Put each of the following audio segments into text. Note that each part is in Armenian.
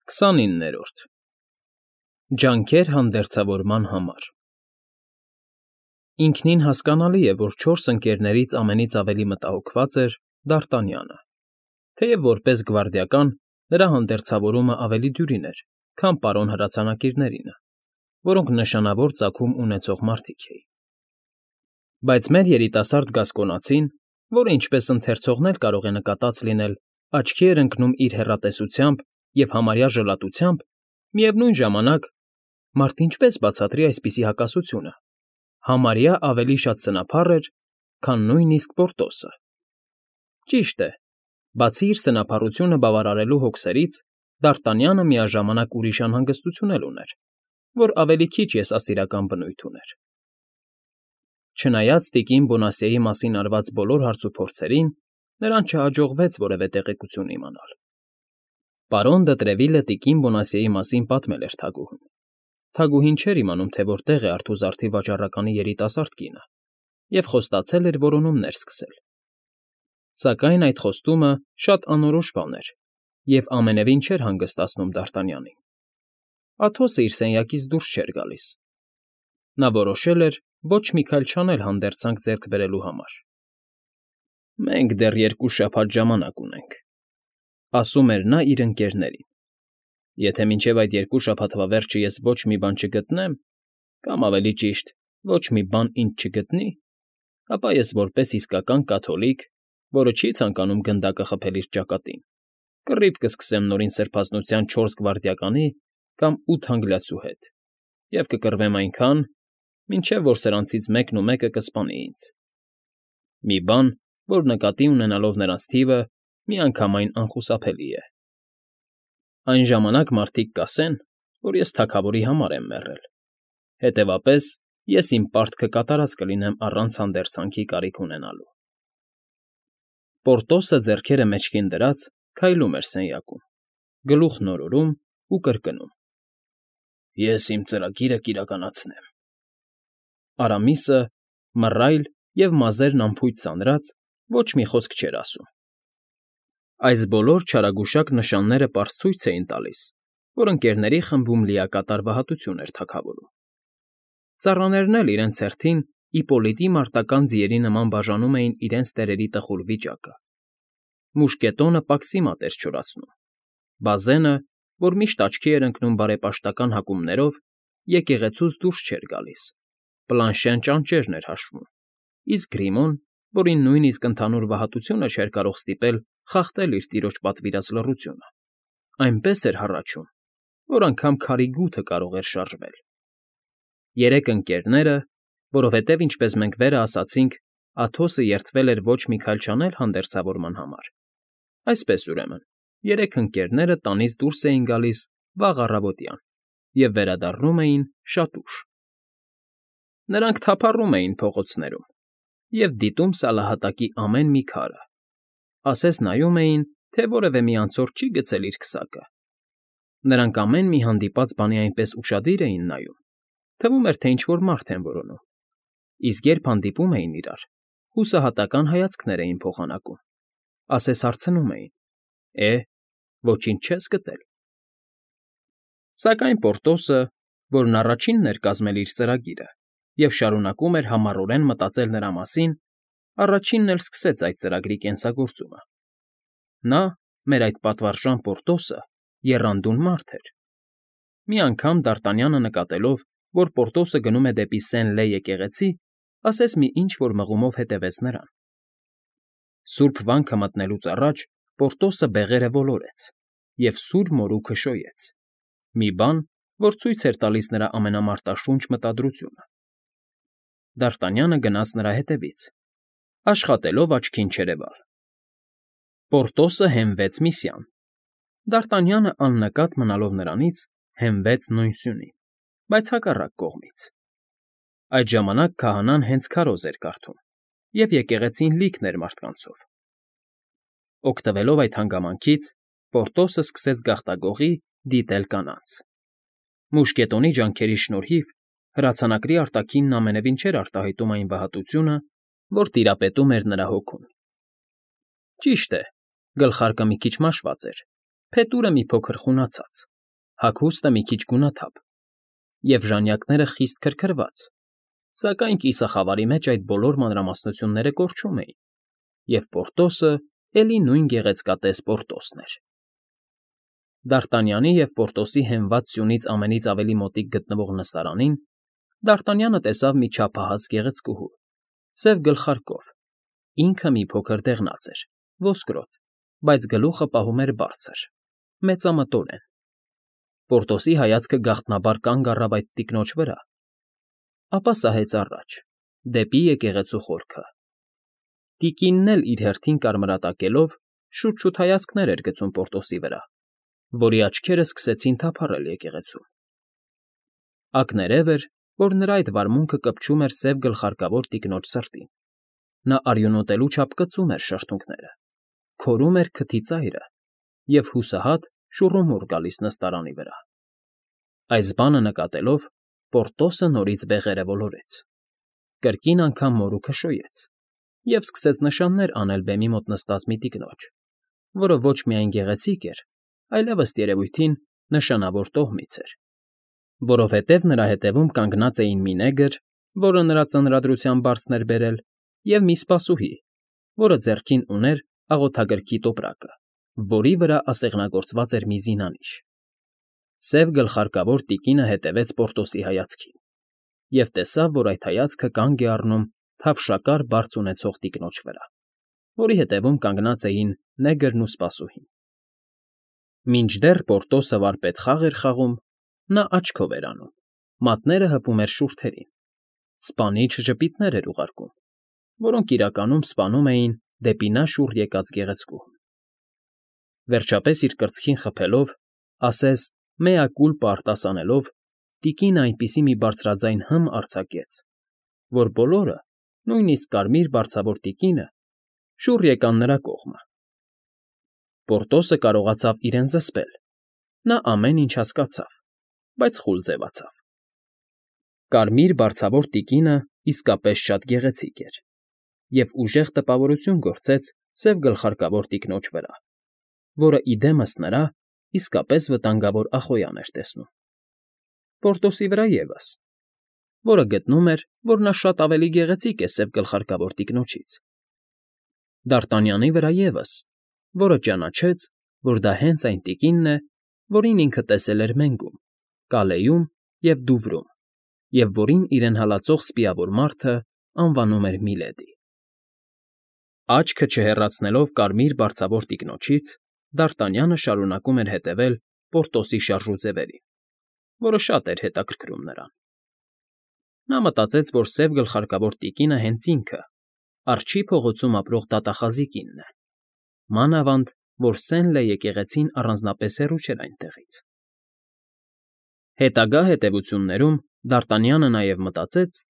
29-րդ Ջանքեր հանդերձավորման համար Ինքնին հասկանալի է, որ չորս ընկերներից ամենից ավելի մտահոգված էր Դարտանյանը, թեև որպես գվարդիական նրա հանդերձավորումը ավելի դյուրին էր, քան պարոն հրացանակիրներինը, որոնք նշանավոր ծագում ունեցող մարդիկ էին։ Բայց մեր երիտասարդ գասկոնացին, որը ինչպես ընթերցողն էլ կարող է նկատած լինել, աչքի էր ընկնում իր հեռատեսությամբ և համարյա ժլատությամբ, միևնույն ժամանակ մարդ ինչպես բացատրի այսպիսի հակասությունը, համարյա ավելի շատ սնափառ էր, քան նույնիսկ Պորտոսը։ Ճիշտ է, բացի իր սնափառությունը բավարարելու հոգսերից, Դարտանյանը միաժամանակ ուրիշ անհանգստություն էլ ուներ, որ ավելի քիչ եսասիրական բնույթ ուներ։ Չնայած տիկին Բոնասիեի մասին արված բոլոր հարցուփորձերին, նրան չհաջողվեց որևէ տեղեկություն իմանալ։ Պարոն Դը տիկին Բոնասիեի մասին պատմել էր թագուհուն։ Թագուհին չէր իմանում, թե որտեղ է արթուզարդի վաճառականի երիտասարդ կինը, և խոստացել էր որոնումներ սկսել։ Սակայն այդ խոստումը շատ անորոշ բան էր և ամենևին չէր հանգստացնում Դարտանյանին։ Աթոսը իր սենյակից դուրս չէր գալիս։ Նա որոշել էր ոչ մի քայլ չանել հանդերձանք ձեռք բերելու համար։ «Մենք դեռ 2 շաբաթ ժամանակ ունենք,֊ ասում էր նա իր ընկերներին։֊ Եթե մինչև այդ 2 շաբաթվա վերջը ես ոչ մի բան չգտնեմ, կամ ավելի ճիշտ, ոչ մի բան ինձ չգտնի, ապա ես որպես իսկական կաթոլիկ, որը չի ցանկանում գնդակը խփել իր ճակատին, կռիվ կսկսեմ նորին սրբազնության 4 գվարդիականի կամ 8 անգլիացու հետ և կկռվեմ այնքան, մինչև որ սրանցից մեկն ու մեկը կսպանի ինձ։ Մի բան, որ նկատի ունենալով նրանց թիվը, միանգամայն անխուսափելի է։ Այն ժամանակ մարդիկ կասեն, որ ես թագավորի համար եմ մեռել, հետևապես ես իմ պարտքը կատարած կլինեմ առանց հանդերձանքի կարիք ունենալու։ Պորտոսը ձեռքերը մեջքին դրած քայլում էր սենյակում, գլուխն օրորում ու կրկնում. Ես իմ ծրագիրը կիրականացնեմ։ Արամիսը, մռայլ և մազերն անփույթ սանրած, ոչ մի խոսք չէր ասում։ Այս բոլոր չարագուշակ նշանները պարզ ցույց էին տալիս, որ ընկերների խմբում լիակատար վհատություն էր թագավորում։ Ծառաներն էլ իրենց հերթին Իպոլիտի մարտական ձիերի նման բաժանում էին իրենց տերերի տխուր վիճակը։ Մուշկետոնը պաքսիմատ էր չորացնում։ Բազենը, որ միշտ աչքի էր ընկնում բարեպաշտական հակումներով, եկեղեցուց դուրս չէր գալիս, Պլանշեն ճանճերն էր հաշվում, իսկ Գրիմոն, որին նույնիսկ ընդհանուր վհատությունը չէր կարող ստիպել խախտել իր տիրոջ պատվիրած լռությունը, այնպես էր հառաչում, որ անգամ քարի գութը կարող էր շարժվել։ Երեք ընկերները, որովհետև, ինչպես մենք վերը ասացինք, Աթոսը երդվել էր ոչ մի քայլ չանել հանդերձավորման համար, այսպես ուրեմն, երեք ընկերները տանից դուրս էին գալիս վաղ առավոտյան և վերադառնում էին շատ ուշ։ Նրանք թափառում էին փողոցներում և դիտում սալահատակի ամեն մի քարը, ասես նայում էին, թե որևէ մի անցորդ չի գցել իր քսակը։ Նրանք ամեն մի հանդիպած բանի այնպես ուշադիր էին նայում, թվում էր, թե ինչ֊որ մարդ են որոնում, իսկ երբ հանդիպում էին իրար, հուսահատական հայացքներ էին փոխանակում, ասես հարցնում էին. ոչինչ չես գտել։ Սակայն Պորտոսը, որն առաջինն էր կազմել իր ծրագիրը և շարունակում էր համառորեն մտածել նրա մասին, առաջինն էլ սկսեց այդ ծրագրի կենսագործումը։ Նա, մեր այդ պատվարժան Պորտոսը, եռանդուն մարդ էր։ Մի անգամ Դարտանյանը նկատելով, որ Պորտոսը գնում է դեպի Սեն֊Լե եկեղեցի, ասես մի ինչ֊որ մղումով հետևեց նրան։ Սուրբ վանքը մտնելուց առաջ Պորտոսը բեղերը ոլորեց և սուր մորուքը շոյեց, մի բան, որ ցույց էր տալիս նրա ամենամարտաշունչ մտադրությունը։ Դարտանյանը գնաց նրա հետևից, աշխատելով աչքին չերևալ։ Պորտոսը հենվեց մի սյան։ Դարտանյանը աննկատ մնալով նրանից, հենվեց նույն սյունին, բայց հակառակ կողմից։ Այդ ժամանակ քահանան հենց քարոզ էր կարդում, և եկեղեցին լիքն էր մարդկանցով։ Օգտվելով այդ հանգամանքից, Պորտոսը սկսեց գաղտագողի դիտել կանանց։ Մուշկետոնի ջանքերի շնորհիվ հրացանակրի արտաքինն ամենևին չէր արտահայտում այն վհատությունը, որ տիրապետում էր նրա հոգուն։ Ճիշտ է, գլխարկը մի քիչ մաշված էր, փետուրը մի փոքր խունացած, Հագուստը մի քիչ գունաթափ, և ժանյակները խիստ քրքրված, սակայն կիսախավարի մեջ այդ բոլոր մանրամասնությունները կորչում էին, և Պորտոսը էլի նույն գեղեցկատես Պորտոսն էր։ Դ'Արտանյանի և Պորտոսի հենված սյունից ամենից ավելի մոտիկ գտնվող նստարանին Դ'Արտանյանը տեսավ մի չափահաս գեղեցկուհու, սև գլխարկով, ինքը մի փոքր դեղնած էր, ոսկրոտ, բայց գլուխը պահում էր բարձր, մեծամտորեն։ Պորտոսի հայացքը գաղտնաբար կանգ առավ այդ տիկնոջ վրա, ապա սահեց առաջ, դեպի եկեղեցու խորքը։ Տիկինն էլ իր հերթին կարմրատակելով շուտ-շուտ հայացքներ էր գցում Պորտոսի վրա, որի աչքերը սկսեցին թափառել եկեղեցում։ Ակներև էր, որ նրա այդ վարմունքը կպչում էր սև գլխարկավոր տիկնոջ սրտին։ Նա արյունոտելու չափ կծում էր շրթունքները, քորում էր քթի ծայրը և հուսահատ շուռումուռ գալիս նստարանի վրա։ Այս բանը նկատելով, Պորտոսը նորից բեղերը ոլորեց, կրկին անգամ մորուքը շոյեց և սկսեց նշաններ անել բեմի մոտ նստած մի տիկնոջ, որը ոչ միայն գեղեցիկ էր, այլև ըստ երևույթին նշանավոր տոհմից էր, որովհետև նրա հետևում կանգնած էին մի նեգր, որը նրա ծանրադրության բարձն էր բերել, և մի սպասուհի, որը ձեռքին ուներ աղոթագրքի տոպրակը, որի վրա ասեղնագործված էր մի զինանիշ։ Սև գլխարկավոր տիկինը հետևեց Պորտոսի հայացքին և տեսավ, որ այդ հայացքը կանգ է առնում թավշակար բարձ ունեցող տիկնոջ վրա, որի հետևում կանգնած էին նեգրն ու սպասուհին։ Մինչդեռ Պորտոսը վարպետ խաղ էր խաղում, նա աչքով էր անում, մատները հպում էր շուրթերին, սպանիչ ժպիտներ էր ուղարկում, որոնք իրականում սպանում էին դեպի նա շուռ եկած գեղեցկուհուն։ Վերջապես իր կրծքին խփելով, ասես «mea culpa» արտասանելով, տիկինը այնպիսի մի բարձրաձայն հմ արձակեց, որ բոլորը, նույնիսկ կարմիր բարձավոր տիկինը, շուռ եկան նրա կողմը։ Պորտոսը կարողացավ իրեն զսպել, նա ամեն ինչ հասկացավ, բայց խուլ ձևացավ։ Կարմիր բարձավոր տիկինը իսկապես շատ գեղեցիկ էր և ուժեղ տպավորություն գործեց սև գլխարկավոր տիկնոջ վրա, որը ի դեմս նրա իսկապես վտանգավոր Ախոյան էր տեսնում։ Պորտոսի վրա ևս, որը գտնում էր, որ նա շատ ավելի գեղեցիկ է սև գլխարկավոր տիկնոջից։ Դ'Արտանյանի վրա ևս, որը ճանաչեց, որ դա հենց այն տիկինն է, որին ինքը տեսել էր Մենգում, Կալեյում և Դուվրում, և որին իրեն հալածող սպիավոր մարդը անվանում էր Միլեդի։ Աչքը չհեռացնելով կարմիր բարձավոր տիկնոջից, Դ'Արտանյանը շարունակում էր հետևել Պորտոսի շարժուձևերին, որը շատ էր հետաքրքրում նրան։ Նա մտածեց, որ սև գլխարկավոր տիկինը հենց ինքը, Արջի փողոցում ապրող դատախազի կինն է, մանավանդ, որ Սենլե եկեղեցին առանձնապես հեռու չէր այնտեղից։ Հետագա հետևություններում Դ'Արտանյանը նաև մտածեց,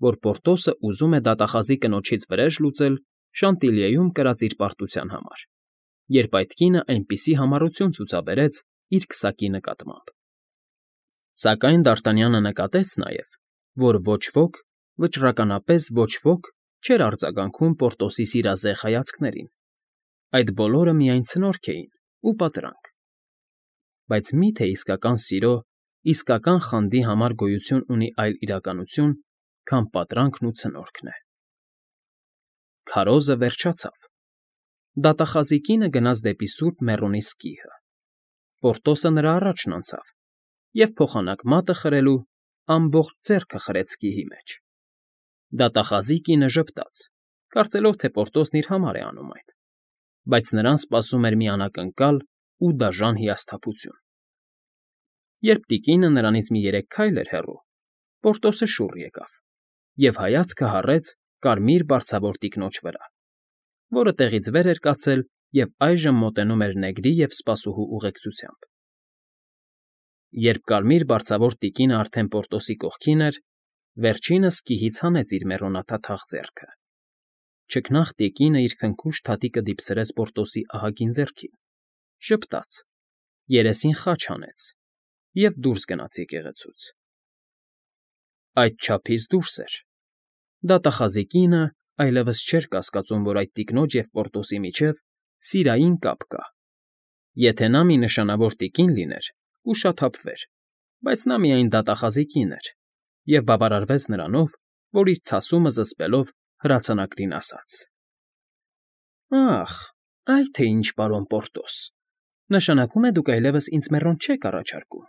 որ Պորտոսը ուզում է դատախազի կնոջից վրեժ լուծել Շանտիլիեում կրած իր պարտության համար, երբ այդ կինը այնպիսի համառություն ցուցաբերեց իր քսակի նկատմամբ։ Սակայն Դ'Արտանյանը նկատեց նաև, որ ոչ ոք, վճռականապես ոչ ոք չէր արձագանքում Պորտոսի սիրազեղ հայացքներին, այդ բոլորը միայն ցնորք էին ու պատրանք։ Բայց մի՞թե իսկական սիրո, իսկական խանդի համար գոյություն ունի այլ իրականություն, քան պատրանքն ու ցնորքն է։ Քարոզը վերջացավ։ Դատախազի կինը գնաց դեպի Սուրբ Մեռոնի սկիհը։ Պորտոսը նրա առաջն անցավ և փոխանակ մատը խրելու ամբողջ ձեռքը խրեց սկիհի մեջ։ Դատախազի կինը ժպտաց, կարծելով, թե Պորտոսն իր համար է անում այդ, բայց նրան սպասում էր մի անակնկալ ու դաժան հիասթափություն։ Երբ տիկինը նրանից մի 3 քայլ էր հեռու, Պորտոսը շուռ եկավ և հայացքը հառեց կարմիր բարձավոր տիկնոջ վրա, որը տեղից վեր էր կացել և այժմ մոտենում էր նեգրի և սպասուհու ուղեկցությամբ։ Երբ կարմիր բարձավոր տիկինը արդեն Պորտոսի կողքին էր, վերջինս սկիհից հանեց իր մեռոնաթաթախ ձեռքը։ Չքնաղ տիկինը իր քնքուշ թաթիկը դիպսրեց Պորտոսի ահագին ձեռքին, ժպտաց, երեսին խաչ հանեց և դուրս գնաց եկեղեցուց։ Այդչափից դուրս էր։ Դատախազի կինը այլևս չէր կասկածում, որ այդ տիկնոջ և Պորտոսի միջև սիրային կապ կա։ Եթե նա մի նշանավոր տիկին լիներ, կուշաթափվեր, բայց նա միայն դատախազի կին էր և բավարարվեց նրանով, որ իր ցասումը զսպելով հրացանակրին ասաց. «Ախ, այ թե ինչ, պարոն Պորտոս, նշանակում է դուք այլևս ինձ մեռոն չեք առաջարկում»։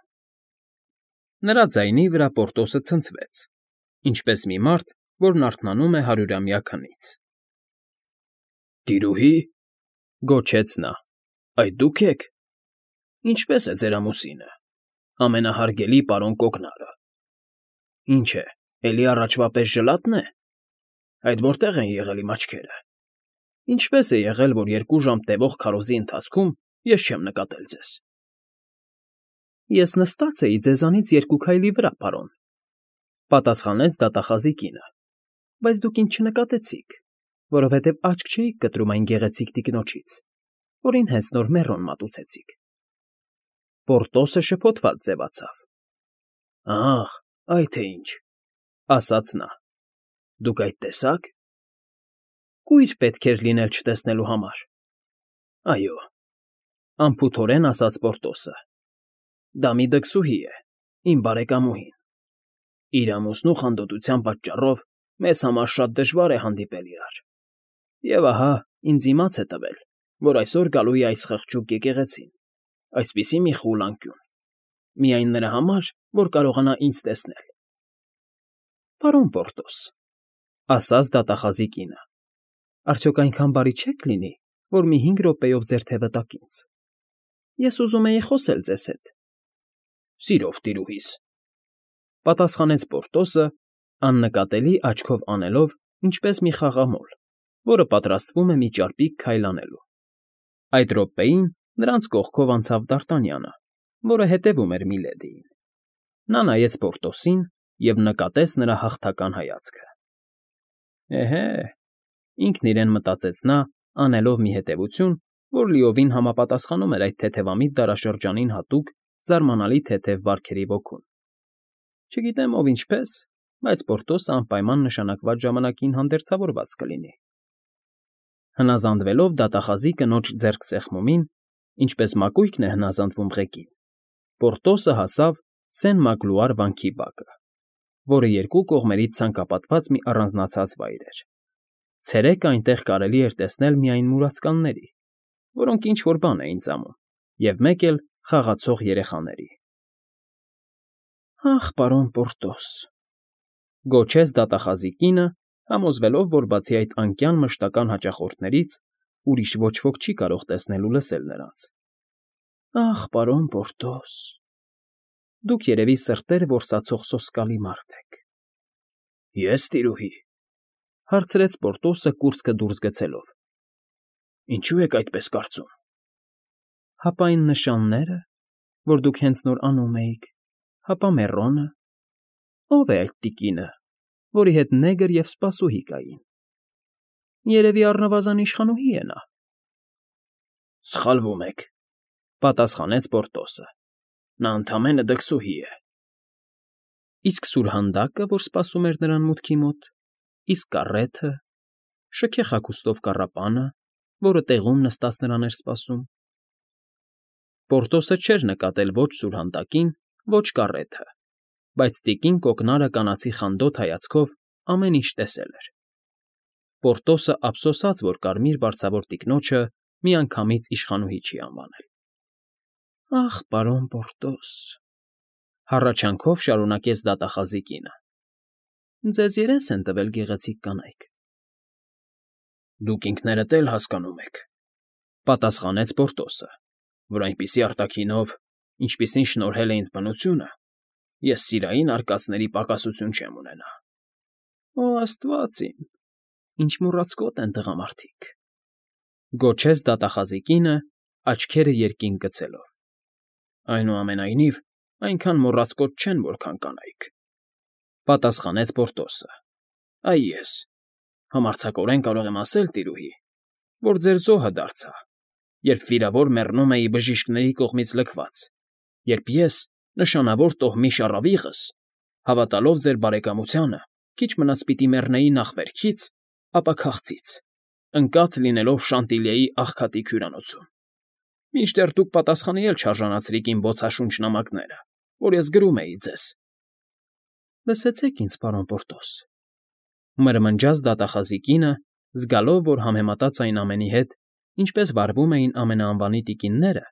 Նրա ձայնի վրա Պորտոսը ցնցվեց, ինչպես մի մարդ, որն արթնանում է հարյուրամյա քնից։ «Տիրուհի,» գոչեց նա,֊ այդ դու՞ք եք։ Ինչպե՞ս է ձեր ամուսինը, ամենահարգելի պարոն Կոկնարը։ Ինչ է, էլի առաջվա պես ժլատ՞ն է։ Այդ որտե՞ղ են եղել իմ աչքերը։ Ինչպե՞ս է եղել, որ 2 ժամ տևող քարոզի ընթացքում ես չեմ նկատել ձեզ։ Ես նստած էի ձեզանից 2 քայլի վրա, պարոն,֊ պատասխանեց դատախազի կինը, բայց դուք ինձ չնկատեցիք, որովհետև աչք չէիք կտրում այն գեղեցիկ տիկնոջից, որին հենց նոր մեռոն մատուցեցիք։ Պորտոսը շփոթված ձևացավ։ «Ախ, այ թե ինչ,֊ ասաց նա,֊ դուք այդ տեսաք։ Կույր պետք էր լինել չտեսնելու համար։ Այո,֊ անփութորեն ասաց Պորտոսը,֊ դա մի դքսուհի է, իմ բարեկամուհին։ Իր ամուսնու խանդոտության պատճառով մեզ համար շատ դժվար է հանդիպել իրար։ Եվ ահա ինձ իմաց է տվել, որ այսօր գալու է այս խղճուկ եկեղեցին, այսպիսի մի խուլ անկյուն, միայն նրա համար, որ կարողանա ինձ տեսնել։ Պարոն Պորտոս,֊ ասաց դատախազի կինը,֊ արդյոք այնքան բարի չեք լինի, որ մի 5 րոպեով ձեր թևը տաք ինձ։ Ես ուզում էի խոսել ձեզ հետ։ Սիրով, տիրուհիս,֊ պատասխանեց Պորտոսը, աննկատելի աչքով անելով, ինչպես մի խաղամոլ, որը պատրաստվում է մի ճարպիկ քայլ անելու։ Այդ րոպեին նրանց կողքով անցավ Դ'Արտանյանը, որը հետևում էր Միլեդիին։ Նա նայեց Պորտոսին և նկատեց նրա հաղթական հայացքը։ Էհե, ինքն իրեն մտածեց նա, անելով մի հետևություն, որ լիովին համապատասխանում էր այդ թեթևամիտ դարաշրջանին հատուկ զարմանալի թեթև բարքերի ոգուն։ Չգիտեմ ով ինչպես, բայց Պորտոսը անպայման նշանակված ժամանակին հանդերձավորված կլինի։ Հնազանդվելով դատախազի կնոջ ձեռքսեղմումին, ինչպես մակույկն է հնազանդվում ղեկին, Պորտոսը հասավ Սեն֊Մագլուար վանքի բակը, որը 2 կողմերից ցանկապատված մի առանձնացած վայր էր։ Ցերեկը այնտեղ կարելի էր տեսնել միայն մուրացկանների, որոնք ինչ֊որ բան էին ծամում, և մեկ էլ խաղացող երեխաների։ Ախ, պարոն Պորտոս,֊ գոչեց դատախազի կինը, համոզվելով, որ բացի այդ անկյան մշտական հաճախորդներից ուրիշ ոչ ոք չի կարող տեսնել ու լսել նրանց։ Ախ, պարոն Պորտոս, դուք երևի սրտեր որսացող սոսկալի մարդ եք։ Ես, տիրուհի,֊ հարցրեց Պորտոսը կուրծքը դուրս գցելով։ Ինչու եք այդպես կարծում։ Հապա այն նշանները, որ դուք հենց նոր անում էիք, հապա մեռոնը։ Ո՞վ է այդ տիկինը, որի հետ նեգր և սպասուհի կային։ Երևի առնվազն իշխանուհի է նա։ Սխալվում եք,֊ պատասխանեց Պորտոսը։ Նա ընդամենը դքսուհի է։ Իսկ սուրհանդակը, որ սպասում էր նրան մուտքի մոտ, իսկ կառեթը, շքեղ հագուստով կառապանը, որը տեղում նստած նրան էր սպասում։ Պորտոսը չէր նկատել ոչ սուրհանդակին, ոչ կառեթը, բայց տիկին Կոկնարը կանացի խանդոտ հայացքով ամեն ինչ տեսել էր։ Պորտոսը ափսոսաց, որ կարմիր բարձավոր տիկնոջը միանգամից իշխանուհի չի անվանել։ Ախ, պարոն Պորտոս,֊ հառաչանքով շարունակեց դատախազի կինը,֊ ձեզ երես են տվել գեղեցիկ կանայք։ Դուք ինքներդ էլ հասկանում եք,֊ պատասխանեց Պորտոսը, որ այնպիսի արտաքինով, ինչպիսին շնորհել է ինձ բնությունը, ես սիրային արկածների պակասություն չեմ ունենա։ Օ, Աստված իմ, ինչ մոռացկոտ են տղամարդիկ,֊ գոչեց դատախազի կինը, աչքերը երկինք գցելով։ Այնուամենայնիվ, այնքան մոռացկոտ չեն, որքան կանայք,֊ պատասխանեց Պորտոսը։ Այ ես համարձակորեն կարող եմ ասել, տիրուհի, որ ձեր զոհը դարձա, երբ վիրավոր մեռնում էի բժիշկների կողմից լքված, երբ ես, նշանավոր տոհմի շառավիղս, հավատալով ձեր բարեկամությանը, քիչ մնաց պիտի մեռնեի նախ վերքից, ապա քաղցից, ընկած լինելով Շանտիլիեի աղքատիկ հյուրանոցում։ Մինչդեռ դուք պատասխանի էլ չարժանացրիք իմ բոցաշունչ նամակները, որ ես գրում էի ձեզ։ Լսեցեք ինձ, պարոն Պորտոս, մրմնջաց դատախազի կինը, զգալով, որ համեմատած այն ամենի հետ, ինչպես վարվում էին ամենաանվանի տիկինները,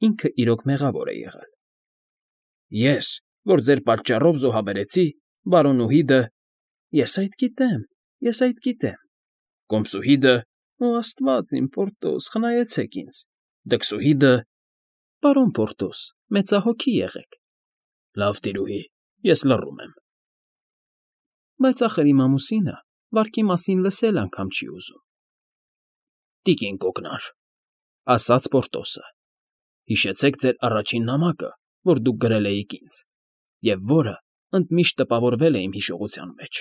ինքը իրոք մեղավոր է եղել։ Ես, որ ձեր պատճառով զոհաբերեցի, բարոնուհիդը… Ես այդ գիտեմ։ Կոմսուհիդը… Օ, Աստված իմ, Պորտոս, խնայեցեք ինձ։ Դքսուհիդը… Պարոն Պորտոս, մեծահոգի եղեք։ Լավ, տիրուհի, ես լռում եմ։ Բայց ախր իմ ամուսինը վարկի մասին լսել անգամ չի ուզում։ Տիկին կոկնար, ասաց Պորտոսը, հիշեցեք ձեր առաջին նամակը, որ դուք գրել էիք ինձ, և որը ընդմիշտ տպավորվել է իմ հիշողության մեջ։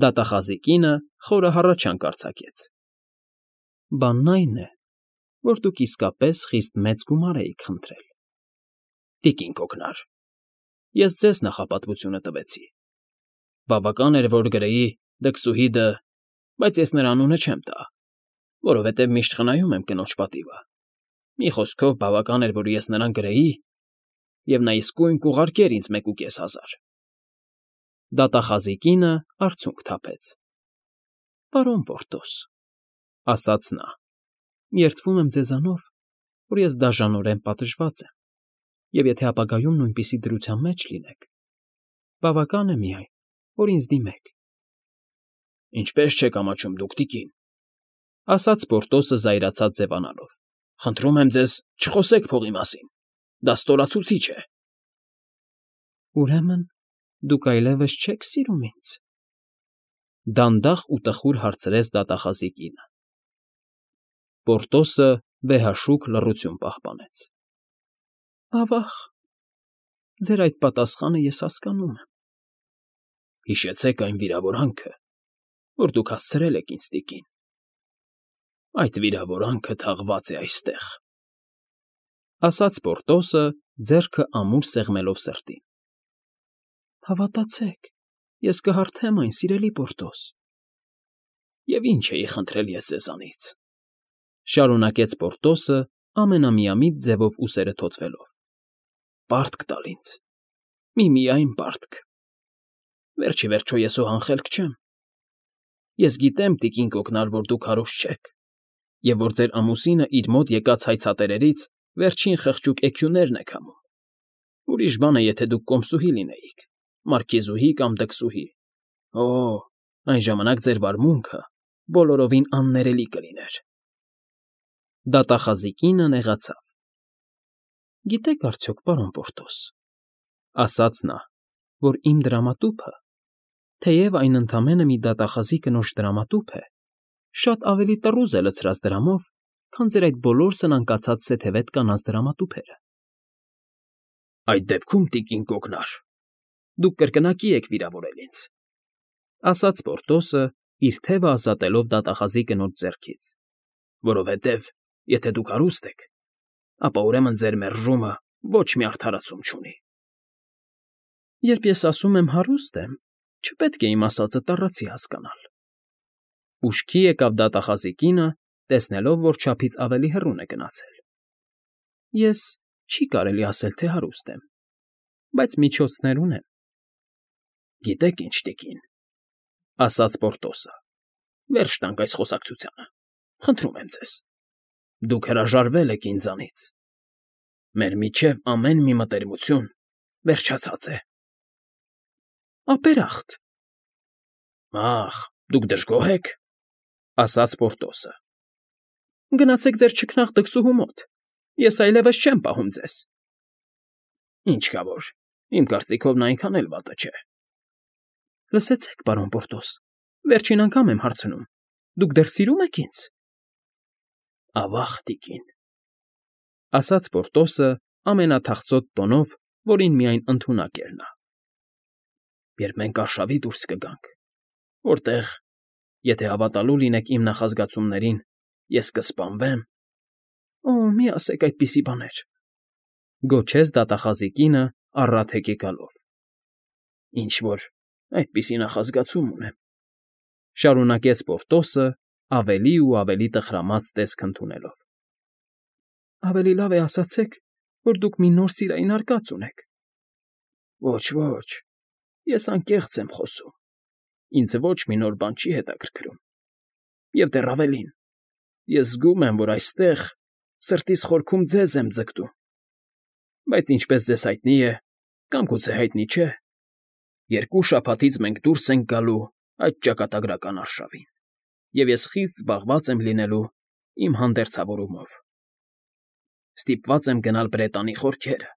Դատախազի կինը խորը հառաչանք արձակեց։ Բանն այն է, որ դուք իսկապես խիստ մեծ գումար էիք խնդրել։ Տիկին կոկնար, ես ձեզ նախապատվությունը տվեցի։ Բավական էր, որ գրեի Դքսուհիդը, բայց ես նրա անունը չեմ տա, որովհետև միշտ խնայում եմ կնոջ պատիվը։ Մի խոսքով, բավական էր, որ ես նրան գրեի, և նա իսկույն կուղարկեր ինձ 1,500։ Դատախազի կինը արցունք թափեց։ Պարոն Պորտոս, ասաց նա, երդվում եմ ձեզանով, որ ես դաժանորեն պատժված եմ, և եթե ապագայում նույնպիսի դրության մեջ լինեք, բավական է միայն, որ ինձ դիմեք։ Ինչպես չեք ամաչում դուք, տիկին, ասաց Պորտոսը զայրացած ձևանալով։ Խնդրում եմ ձեզ, չխոսեք փողի մասին, դա ստորացուցիչ է։ Ուրեմն դուք այլևս չեք սիրում ինձ, դանդաղ ու տխուր հարցրեց դատախազի կինը։ Պորտոսը վեհաշուկ լռություն պահպանեց։ Ավա՜ղ, ձեր այդ պատասխանը ես հասկանում եմ։ Հիշեցեք այն վիրավորանքը, որ դուք հասցրել եք ինձ, տիկին։ Այդ վիրավորանքը թաղված է այստեղ, ասաց Պորտոսը, ձեռքը ամուր սեղմելով սրտին։ Հավատացեք, ես կհարթեմ այն, սիրելի Պորտոս։ Եվ ինչ էի խնդրել ես ձեզանից, շարունակեց Պորտոսը ամենամիամիտ ձևով ուսերը թոթվելով։ Պարտք տալ ինձ, միայն պարտք։ Վերջ ի վերջո ես անխելք չեմ։ Ես գիտեմ, տիկին կոկնար, որ դուք հարուստ չեք, և որ ձեր ամուսինը իր մոտ եկած հայցատերերից վերջին խղճուկ էքյուներն է քամում։ Ուրիշ բան է, եթե դուք կոմսուհի լինեիք, մարքիզուհի կամ դքսուհի։ Օ, այն ժամանակ ձեր վարմունքը բոլորովին աններելի կլիներ։ Դատախազի կինը նեղացավ։ Գիտեք արդյոք, պարոն Պորտոս, ասաց նա, որ իմ դրամատուփը, թեև այն ընդամենը մի դատախազի կնոջ դրամատուփ է, շատ ավելի տռուզ է լցրած դրամով, քան ձեր այդ բոլոր սնանկացած սեթևետ կանանց դրամատուփերը։ Այդ դեպքում, տիկին կոկնար, դուք կրկնակի եք վիրավորել ինձ, ասաց Պորտոսը, իր թևը ազատելով դատախազի կնոջ ձեռքից, որովհետև, եթե դուք հարուստ եք, ապա ուրեմն ձեր մերժումը ոչ մի արդարացում չունի։ Երբ ես ասում եմ հարուստ եմ, չպետք է իմ ասածը տառացի հասկանալ։ Ուշքի եկավ դատախազի կինը, տեսնելով, որ չափից ավելի հեռուն է գնացել։ Ես չի կարելի ասել, թե հարուստ եմ, բայց միջոցներ ունեմ։ Գիտեք ինչ, տիկին, ասաց Պորտոսը, վերջ տանք այս խոսակցությանը, խնդրում եմ ձեզ։ Դուք հրաժարվել եք ինձանից։ Մեր միջև ամեն մի մտերմություն վերջացած է։ Ապերախտ։ Ախ, դուք դժգոհ եք, ասաց Պորտոսը։ Գնացեք ձեր չքնաղ դքսուհու մոտ, ես այլևս չեմ պահում ձեզ։ Ինչ կա որ, իմ կարծիքով նա այնքան էլ վատը չէ։ Լսեցեք, պարոն Պորտոս, վերջին անգամ եմ հարցնում, դուք դեռ սիրում եք ինձ։ Ավաղ, տիկին, ասաց Պորտոսը ամենաթախծոտ տոնով, որին միայն ընդունակ էր նա։ Երբ մենք արշավի դուրս կգանք, որտեղ, եթե հավատալու լինեք իմ նախազգացումներին, ես կսպանվեմ։ Օ, մի ասեք այդպիսի բաներ, գոչեց դատախազի կինը առատ հեկեկալով։ Ինչ որ այդպիսի նախազգացում ունեմ, շարունակեց Պորտոսը ավելի ու ավելի տխրամած տեսք ընդունելով։ Ավելի լավ է ասացեք, որ դուք մի նոր սիրային արկած ունեք։ Ոչ, ես անկեղծ եմ խոսում։ Ինձ ոչ մի նոր բան չի հետաքրքրում։ Եվ դեռ ավելին, ես զգում եմ, որ այստեղ սրտիս խորքում ձեզ եմ ձգտում։ Բայց ինչպես ձեզ հայտնի է, կամ գուցե հայտնի չէ, 2 շաբաթից մենք դուրս ենք գալու այդ ճակատագրական արշավին, և ես խիստ զբաղված եմ լինելու իմ հանդերձավորումով։ Ստիպված եմ գնալ Բրետանի խորքերը,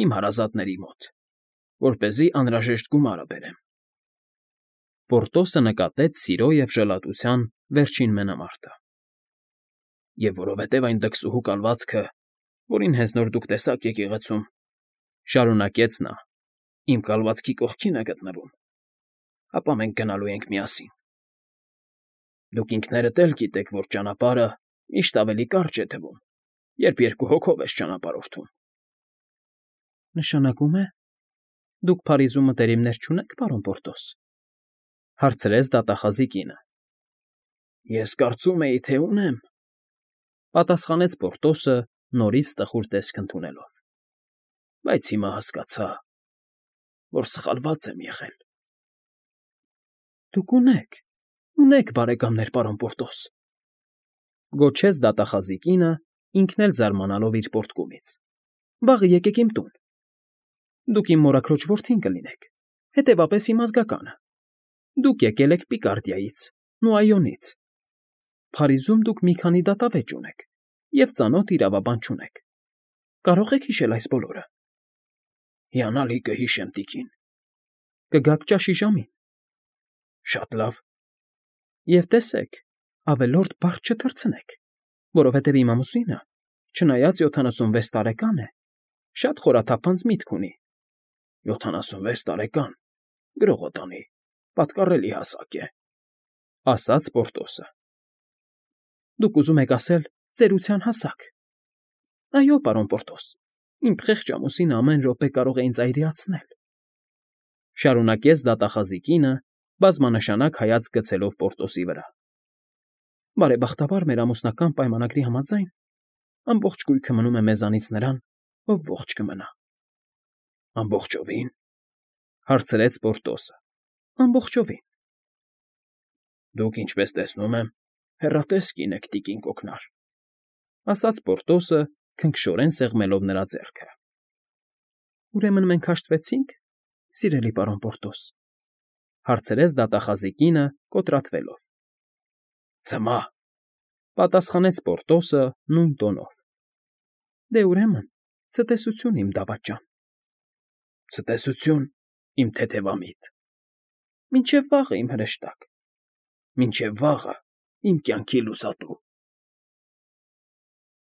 իմ հարազատների մոտ, որպեսզի անհրաժեշտ գումարը բերեմ։ Պորտոսը նկատեց սիրո և ժլատության վերջին մենամարտը։ Եվ որովհետև այն դքսուհու կալվածքը, որին հենց նոր դուք տեսաք եկեղեցում, շարունակեց նա, իմ կալվածքի կողքին է գտնվում, ապա մենք գնալու ենք միասին։ Դուք ինքներդ էլ գիտեք, որ ճանապարհը միշտ ավելի կարճ է թվում, երբ 2 հոգով ես ճանապարհորդում։ Նշանակում է, դուք Փարիզում մտերիմներ չունեք, պարոն Պորտոս, հարցրեց դատախազի կինը։ Ես կարծում էի, թե ունեմ, պատասխանեց Պորտոսը նորից տխուր տեսք ընդունելով։ Բայց հիմա հասկացա, որ սխալված եմ եղել։ Դուք ունեք բարեկամներ, պարոն Պորտոս, գոչեց դատախազի կինը, ինքն էլ զարմանալով իր պոռթկումից։ Վաղը եկեք իմ տուն։ Դուք իմ մորաքրոջ որդին կլինեք, հետևապես իմ ազգականը։ Դուք եկել եք Պիկարդիայից, Նուայոնից։ Փարիզում դուք մի քանի դատավեճ ունեք և ծանոթ իրավաբան չունեք։ Կարող եք հիշել այս բոլորը։ Հիանալի կհիշեմ, տիկին։ Կգաք ճաշի ժամին։ Շատ լավ։ Եվ տեսեք, ավելորդ բառ չթռցնեք, որովհետև իմ ամուսինը, չնայած 76 տարեկան է, շատ խորաթափանց միտք ունի։ 76 տարեկան, գրողոտանի, պատկառելի հասակ է, ասաց Պորտոսը։ Դուք ուզում եք ասել ծերության հասակ։ Այո, պարոն Պորտոս, իմ խեղճ ամուսինը ամեն րոպե կարող է ինձ այրիացնել։ Շարունակեց դատախազի կինը, բազմանշանակ հայացք գցելով Պորտոսի վրա։ Բարեբախտաբար մեր ամուսնական պայմանագրի համաձայն ամբողջ գույքը մնում է մեզանից նրան, ով ողջ կմնա։ Ամբողջովին, հարցրեց Պորտոսը։ Ամբողջովին։ Դուք, ինչպես տեսնում եմ, հեռատես կին եք, տիկին Կոկնար, ասաց Պորտոսը, քնքշորեն սեղմելով նրա ձեռքը։ Ուրեմն մենք հաշտվեցինք, սիրելի պարոն Պորտոս, հարցրեց դատախազի կինը, կոտրատվելով։ Ցմա, պատասխանեց Պորտոսը նույն տոնով։ Դե ուրեմն, ցտեսություն, իմ դավաճան։ Ցտեսություն, իմ թեթևամիտ։ Մինչև վաղը, իմ հրեշտակ։ Մինչև վաղը, իմ կյանքի լուսատու։